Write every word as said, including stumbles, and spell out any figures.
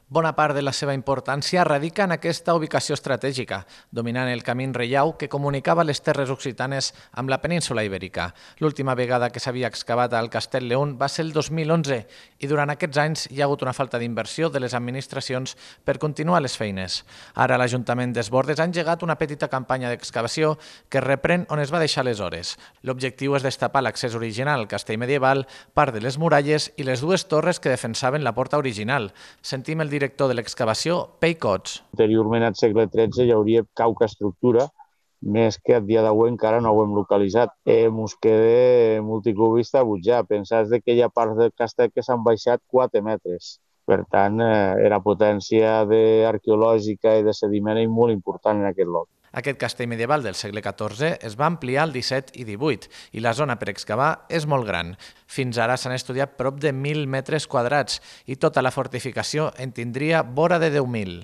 Bona part de la seva importància radica en aquesta ubicació estratègica, dominant el camí reial que comunicava les terres occitanes amb la península ibèrica. L'última vegada que s'havia excavat al Castell León va ser el dos mil onze i durant aquests anys hi ha hagut una falta d'inversió de les administracions per continuar les feines. Ara l'Ajuntament d'Es Bordes ha engegat una petita campanya d'excavació que reprèn on es va deixar aleshores. L'objectiu és destapar l'accés original al castell medieval, part de les muralles i les dues torres que defensaven la porta original. Sentim el director de l'excavació, Pei Cots. Anteriorment, al segle tretze, hi hauria cauca estructura, més que a dia d'avui encara no ho hem localitzat. Eh, mos queda multicubista butjar. Pensar que hi ha parts del castell que s'han baixat quatre metres. Per tant, eh, era potència arqueològica i de sediment molt important en aquest lloc. Aquest castell medieval del segle catorze es va ampliar al disset i divuit i la zona per excavar és molt gran. Fins ara s'han estudiat prop de mil metres quadrats i tota la fortificació en tindria vora de deu mil.